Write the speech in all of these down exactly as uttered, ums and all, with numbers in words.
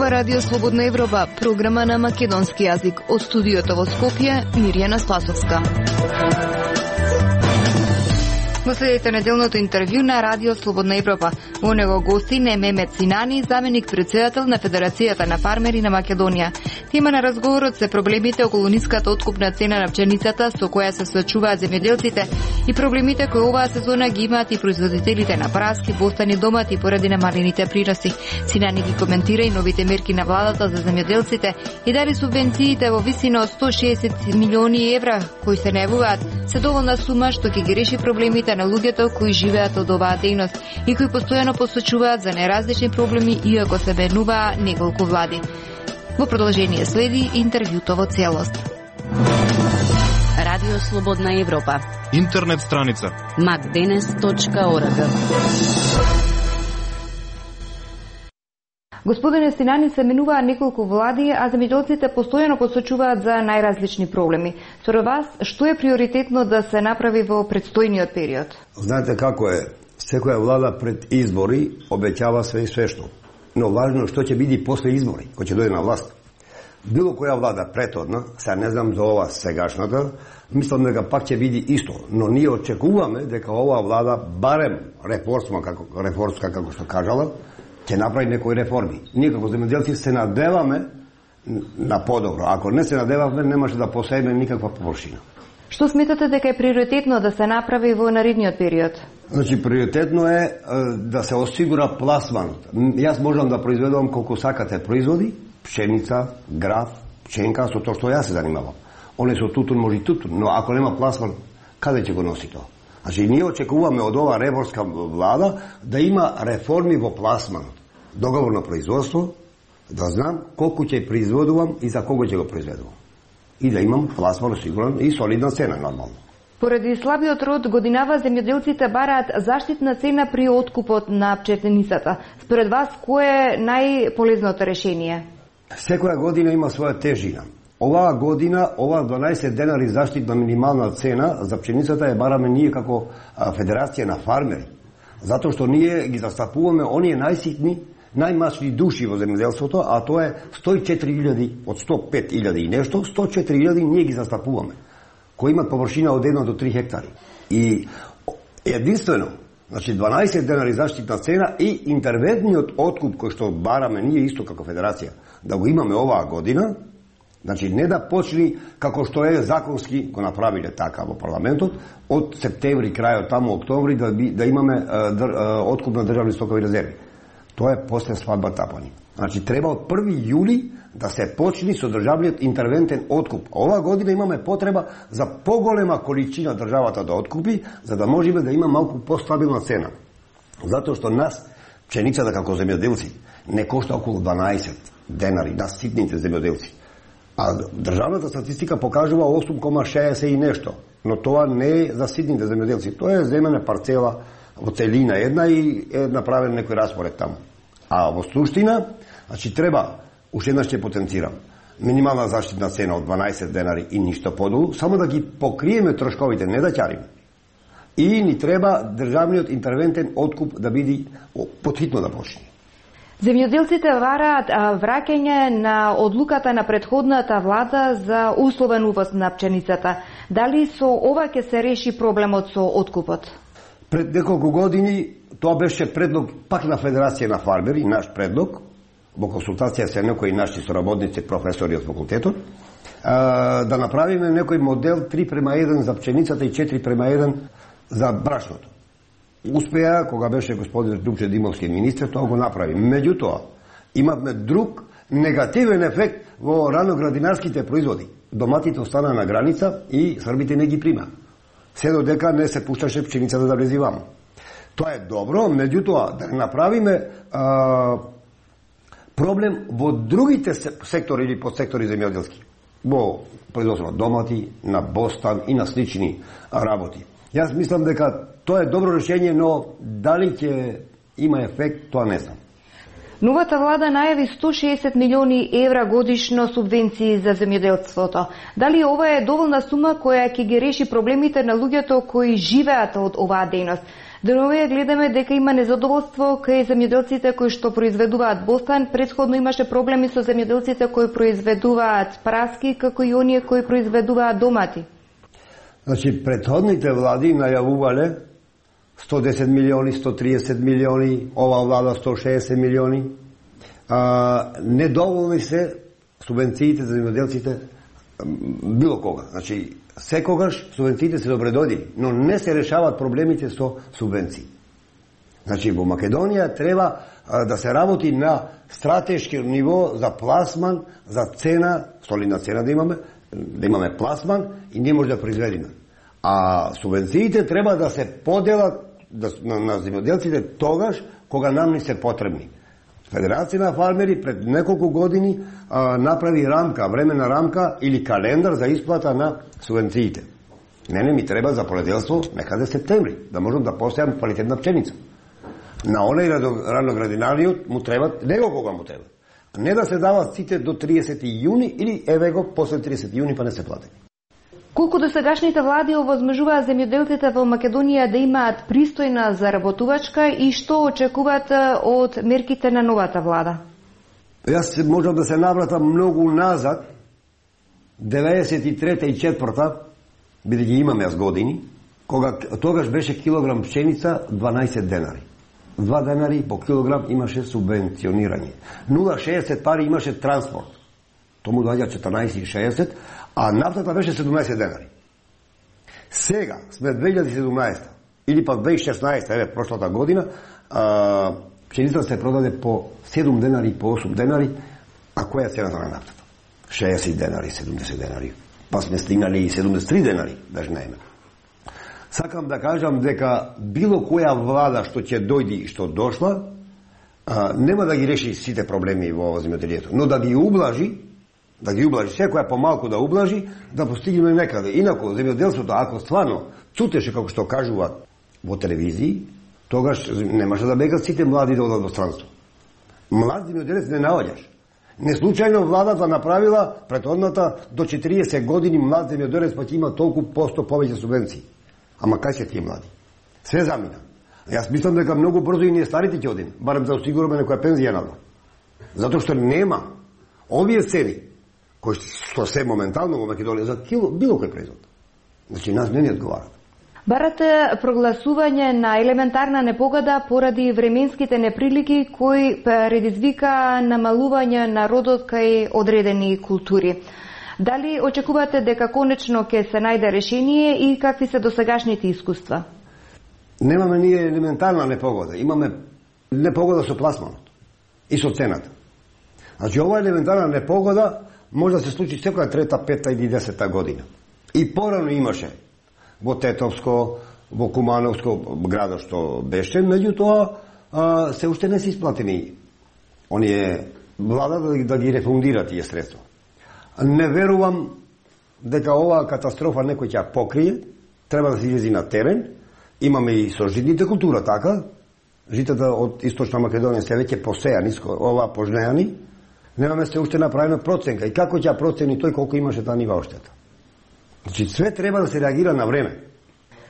Ова радио Слободна Европа, програма на македонски јазик. Од студиото во Скопје, Мирјана Спасовска. Во следите неделното интервју на радио Слободна Европа. Во него гости не Мемет Синани, заменик председател на Федерацијата на фармери на Македонија. Тема на разговорот се проблемите околу ниската откупна цена на пченицата со која се соочуваат земјоделците и проблемите кои оваа сезона ги имаат и производителите на праски, бостани, домати поради намалените прирасти. Синани ги коментира и новите мерки на владата за земјоделците и дали субвенциите во висина од сто шеесет милиони евра кои се најавуваат се доволна сума што ќе ги реши проблемите на луѓето кои живеат од оваа дејност и кои постојано посочуваат за неразлични проблеми иако се менуваа неколку влади. Во продолжение следи интервјуто во целост. Радио Слободна Европа. Интернет страница макденес точка орг. Господине Синани, се менуваа неколку влади, а земјоделците постојано посочуваат за најразлични проблеми. Според вас, што е приоритетно да се направи во предстојниот период? Знаете како е, секоја влада пред избори обеќава све и свешто. Но важно што ќе биде после избори, кој ќе дојде на власт. Било која влада претhodна, сега не знам за ова сегашната, мислам дека пак ќе биде исто, но ние очекуваме дека оваа влада барем реформска, како реформска како што кажала, ќе направи некои реформи. Ние како земјоделци се надеваме на подобро. Ако не се надеваме, немаше да посееме никаква површина. Што сметате дека е приоритетно да се направи во наредниот период? Значи, приоритетно е, е да се осигура пласманот. Јас можам да произведувам колку сакате производи, пшеница, граф, пченка, со тоа што јас се занимавам. Оне со тутун може и тутун, но ако нема пласман, каде ќе го носи тоа? Значи, ние очекуваме од оваа реформска влада да има реформи во пласманот. Договор на производство, да знам колку ќе произведувам и за кого ќе го произведувам. И да имам пласман осигурен и солидна цена, нормално. Поради слабиот род годинава земјоделците бараат заштитна цена при откупот на пченицата. Според вас, кое е најполезното решение? Секоја година има своја тежина. Оваа година, оваа дванаесет денари заштитна минимална цена за пченицата е бараме ние како Федерација на фармери. Затоа што ние ги застапуваме оние најситни, најмачни души во земјоделството, а тоа е сто и четири илјади од сто и пет илјади и нешто, сто и четири илјади ние ги застапуваме, кои имат површина од едно до три хектари. И единствено, значи дванаесет денари заштитна цена и интервентниот откуп кој што бараме ние исто како Федерација да го имаме оваа година, значи не да почни како што е законски го направиле така во парламентот од септември крајот таму октомври да би, да имаме а, др, а, откуп на државни стокови резерви. Тоа е после свадбата по ни. Значи треба од први јули да се почни со државниот интервентен откуп. Оваа година имаме потреба за поголема количина државата да откупи, за да можеме да има малку постабилна цена. Затоа што нас пченицата како земјоделци не кошта околу дванаесет денари на ситните земјоделци. А државната статистика покажува осум кома шеесет и нешто, но тоа не е за ситните земјоделци. Тоа е земена парцела во целина една и е направен некој распоред таму. А во суштина, значи треба, уште еднаш ќе потенцирам, минимална заштитна цена од дванаесет денари и ништо подолу, само да ги покриеме трошковите, не да ќариме. И ни треба државниот интервентен откуп да биде потхитно да почне. Земјоделците вараат враќање на одлуката на претходната влада за условен увоз на пченицата. Дали со ова ќе се реши проблемот со откупот? Пред неколку години тоа беше предлог пак на Федерација на фармери, наш предлог, во консултација со некои наши соработници, професори од факултетот, да направиме некој модел три према еден за пченицата и четири према еден за брашното. Успеа, кога беше господин Дупче Димовски министр, тоа го направи. Меѓутоа, имавме друг негативен ефект во раноградинарските производи. Доматите остана на граница и србите не ги прима. Се додека не се пушташе пченицата да влези ваму. Тоа е добро, меѓутоа да направиме а, проблем во другите сектори или подсектори земјоделски. Во производство на домати, на бостан и на слични работи. Јас мислам дека тоа е добро решение, но дали ќе има ефект, тоа не знам. Новата влада најави сто шеесет милиони евра годишно субвенции за земјоделството. Дали ова е доволна сума која ќе ги реши проблемите на луѓето кои живеат од оваа дејност? Денеска гледаме дека има незадоволство кај земјоделците кои што произведуваат бостан. Претходно имаше проблеми со земјоделците кои произведуваат праски, како и оние кои произведуваат домати. Значи, претходните влади најавувале сто десет милиони, сто триесет милиони, ова влада сто шеесет милиони. А, недоволни се субвенциите за земјоделците било кога. Значи, секогаш субвенциите се добредодени, но не се решават проблемите со субвенции. Значи, во Македонија треба а, да се работи на стратешки ниво за пласман, за цена, солидна цена да имаме, да имаме пласман и не може да произведиме. А субвенциите треба да се поделат да, на, на земјоделците тогаш кога нам не се потребни. Федерација на фармери пред неколку години а, направи рамка, времена рамка или календар за исплата на субвенциите. Не, не ми треба за поледелство некаде септември, да можам да постојам квалитетна пченица. На онај раноградинариот му треба, него кога му треба. Не да се дават сите до триесети јуни или еве го после триесети јуни па не се платени. Колку досегашните влади овозможуваат земјоделците во Македонија да имаат пристојна заработувачка и што очекуваат од мерките на новата влада? Јас можам да се навратам многу назад, деветдесет и трета и четврта, бидејќи имам јас години, кога тогаш беше килограм пшеница дванаесет денари. Два денари по килограм имаше субвенционирање. нула шеесет пари имаше транспорт. Тому доаѓа четрнаесет и шеесет, а нафтата беше седумнаесет денари. Сега сме две илјади и седумнаесета или па две илјади и шеснаесета, еве прошлата година, а, пшеницата се продаде по седум денари и по осум денари, а која е цената на нафтата? шеесет денари, седумдесет денари. Па сме стигнали и седумдесет и три денари, даже најме. Сакам да кажам дека било која влада што ќе дојди и што дошла, а, нема да ги реши сите проблеми во земјоделието, но да ги ублажи, да ги ублажи, секоја помалку да ублажи, да постигнеме некаде. Инаку, земјоделството, ако стварно цутеше, како што кажуваат во телевизии, тогаш немаше да бегат сите млади да одат во странство. Млад земјоделец не наоѓаш. Не случајно владата направила претходната до четириесет години млад земјоделец па ќе има толку посто повеќе субвенции. Ама кај се тие млади? Све замина. Јас мислам дека многу брзо и ние старите ќе одиме, барем да осигураме некоја пензија надвор. Затоа што нема овие цени кои што се моментално во Македонија за кило било кој производ. Значи нас не ни одговарат. Барате прогласување на елементарна непогода поради временските неприлики кои предизвика намалување на родот кај одредени култури. Дали очекувате дека конечно ќе се најде решение и какви се досегашните искуства? Немаме ние елементарна непогода, имаме непогода со пласманот и со цената. Значи ова елементарна непогода може да се случи секоја трета, пета или десета година. И порано имаше во Тетовско, во Кумановско градот што беше, меѓутоа се уште не се исплатени оние влада да, да ги рефундира тие средства. Не верувам дека оваа катастрофа некој ќе ја покрие, треба да се излези на терен. Имаме и со житните култура така, житата од Источна Македонија се веќе посејани, ова пожнеани, немаме се уште направена проценка. И како ќе ја процени тој колку имаше таа нива оштета? Значи, све треба да се реагира на време.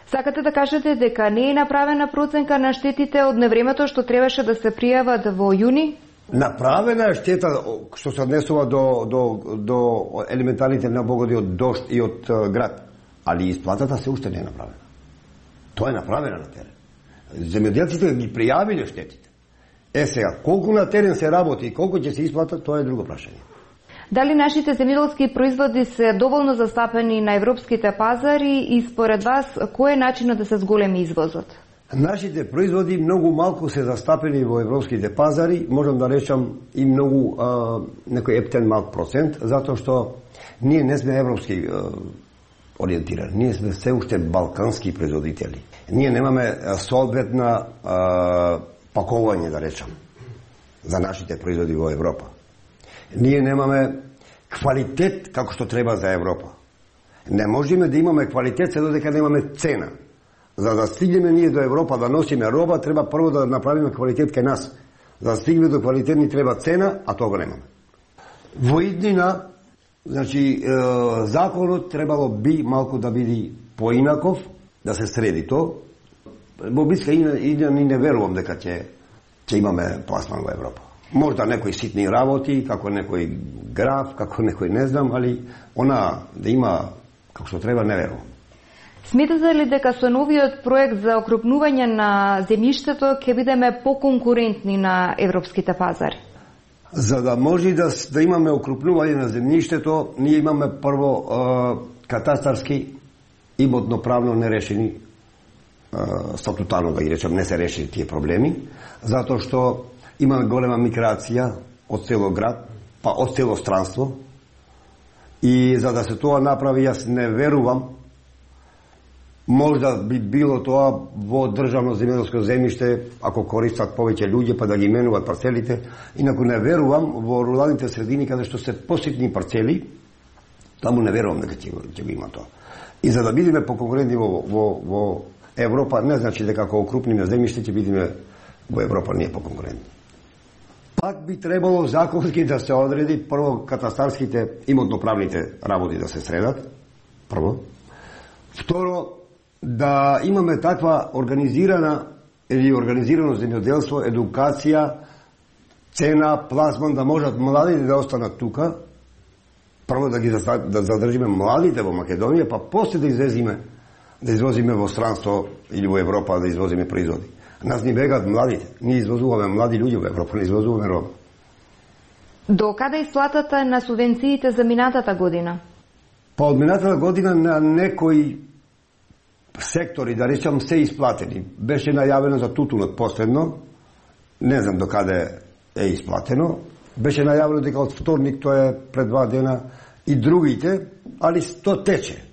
Сакате да кажете дека не е направена проценка на штетите од невремето што требаше да се пријават во јуни? Направена е штета што се однесува до, до, до елементарните непогоди од дожд и од uh, град, али исплатата се уште не е направена. Тоа е направена на терен. Земјоделците ги пријавиле штетите. Е сега, колку на терен се работи и колку ќе се исплата, тоа е друго прашање. Дали нашите земјоделски производи се доволно застапени на европските пазари и според вас кој е начинот да се зголеми извозот? Нашите производи многу малку се застапени во европските пазари, можам да речам и многу а, некој ептен малк процент, затоа што ние не сме европски а, ориентирани, ние сме се уште балкански производители. Ние немаме соодветна а, пакување, да речам, за нашите производи во Европа. Ние немаме квалитет како што треба за Европа. Не можеме да имаме квалитет се додека немаме цена. За да стигнеме ние до Европа да носиме роба, треба прво да направиме квалитет кај нас. За да стигнеме до квалитет ни треба цена, а тоа го немаме. Во иднина, значи, е, законот требало би малку да биде поинаков, да се среди то. во биска и, и, и не верувам дека ќе ќе имаме пласман во Европа. Можда некои ситни работи, како некој граф, како некој не знам, али она да има како што треба, не верувам. Сметате ли дека со новиот проект за окрупнување на земјиштето ќе бидеме поконкурентни на европските пазари? За да може да, да имаме окрупнување на земјиштето, ние имаме прво е, катастарски имотно-правно нерешени, е, статутарно да ги речем, не се решени тие проблеми, затоа што имаме голема миграција од цело град, па од цело странство, и за да се тоа направи, јас не верувам. Можда би било тоа во државно земјоделско земјиште, ако користат повеќе луѓе па да ги менуваат парцелите, инаку не верувам во руралните средини каде што се поситни парцели, таму не верувам дека ќе, ќе го има тоа. И за да бидеме поконкурентни во, во, во Европа, не значи дека ако окрупниме земјиште ќе бидеме во Европа ние поконкурентни. Пак би требало законски да се одреди прво катастарските имотно-правните работи да се средат, прво. Второ, да имаме таква организирана или организирано земјоделство, едукација, цена, пласман, да можат младите да останат тука, прво да ги да задржиме младите во Македонија, па после да извезиме да извозиме во странство или во Европа да извозиме производи. Нас ни бегат младите. Ние извозуваме млади луѓе во Европа, не извозуваме роба. До каде исплатата на субвенциите за минатата година? Па од минатата година на некои сектори, да речам, се исплатени. Беше најавено за тутунот последно, не знам до каде е исплатено. Беше најавено дека од вторник, тоа е пред два дена, и другите, али тоа тече.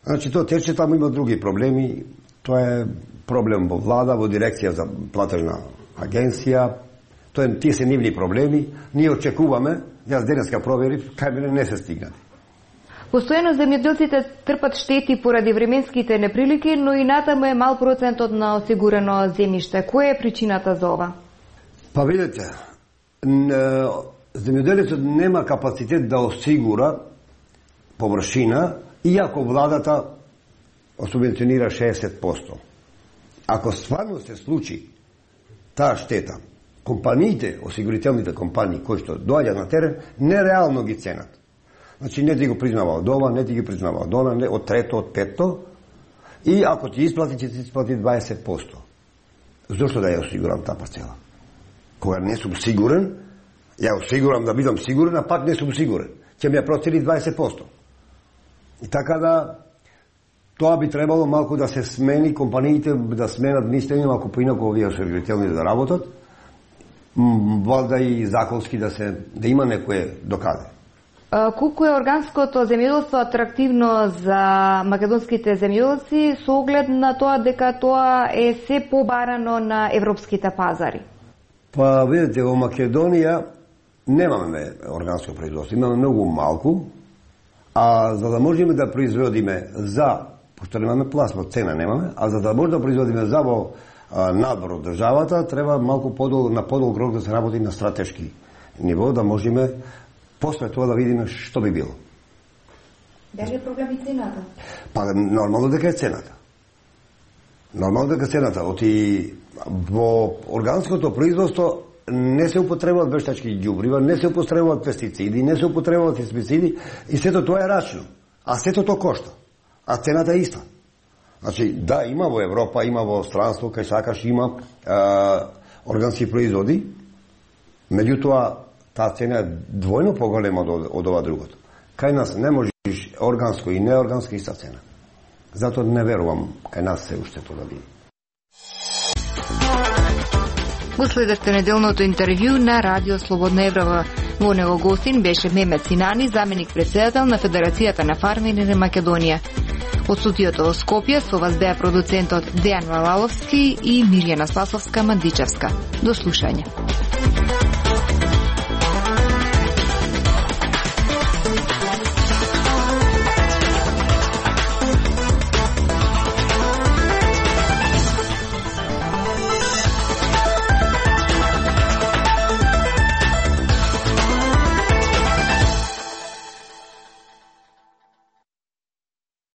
Значи, тоа тече, таму има други проблеми. Тоа е проблем во влада, во дирекција за платежна агенција. Тоа е, тие се нивни проблеми. Ние очекуваме, јас денеска проверив, кај мене не се стигнати. Постојано земјоделците трпат штети поради временските неприлики, но и натаму е мал процентот на осигурено земјиште. Која е причината за ова? Па видите, земјоделецот нема капацитет да осигура површина, иако владата субвенционира шеесет проценти. Ако стварно се случи таа штета, компаниите, осигурителните компании кои што доаѓаат на терен, нереално ги ценат. Значи не ти го признава од ова, не ти ги признава од она, не од трето, од петто, и ако ти исплати, ќе ти исплати дваесет проценти. Зошто да ја осигурам таа парцела? Кога не сум сигурен, ја осигурам да бидам сигурен, а пак не сум сигурен. Ќе ми ја процени дваесет проценти. И така да, тоа би требало малку да се смени, компаниите да сменат мислење, малку поинаку овие осигурителни да работат, валда и законски да се да има некое докаде. Колку е органското земјоделство атрактивно за македонските земјоделци со оглед на тоа дека тоа е се побарано на европските пазари? Па видите, во Македонија немаме органско производство, имаме многу малку, а за да можеме да производиме за, пошто немаме пласма, цена немаме, а за да може да производиме за во надвор од државата, треба малку подол, на подолг рок да се работи на стратешки ниво, да можеме после тоа да видиме што би било. Дали е проблем и цената? Па нормално дека е цената. Нормално дека е цената. Оти во органското производство не се употребуваат вештачки ѓубрива, не се употребуваат пестициди, не се употребуваат хербициди и сето тоа е рачно. А сето тоа кошта. А цената е иста. Значи, да, има во Европа, има во странство, кај сакаш има е, органски производи, меѓутоа таа цена е двојно поголема од, од ова другото. Кај нас не можеш органско и неорганско иста цена. Затоа не верувам кај нас се уште тоа да биде. Последевте неделното интервју на Радио Слободна Европа. Во него гостин беше Мемет Синани, заменик председател на Федерацијата на фармери на Македонија. Од студиото во Скопје со вас беа продуцентот Дејан Валаловски и Мирјана Спасовска-Мандичевска. До слушање.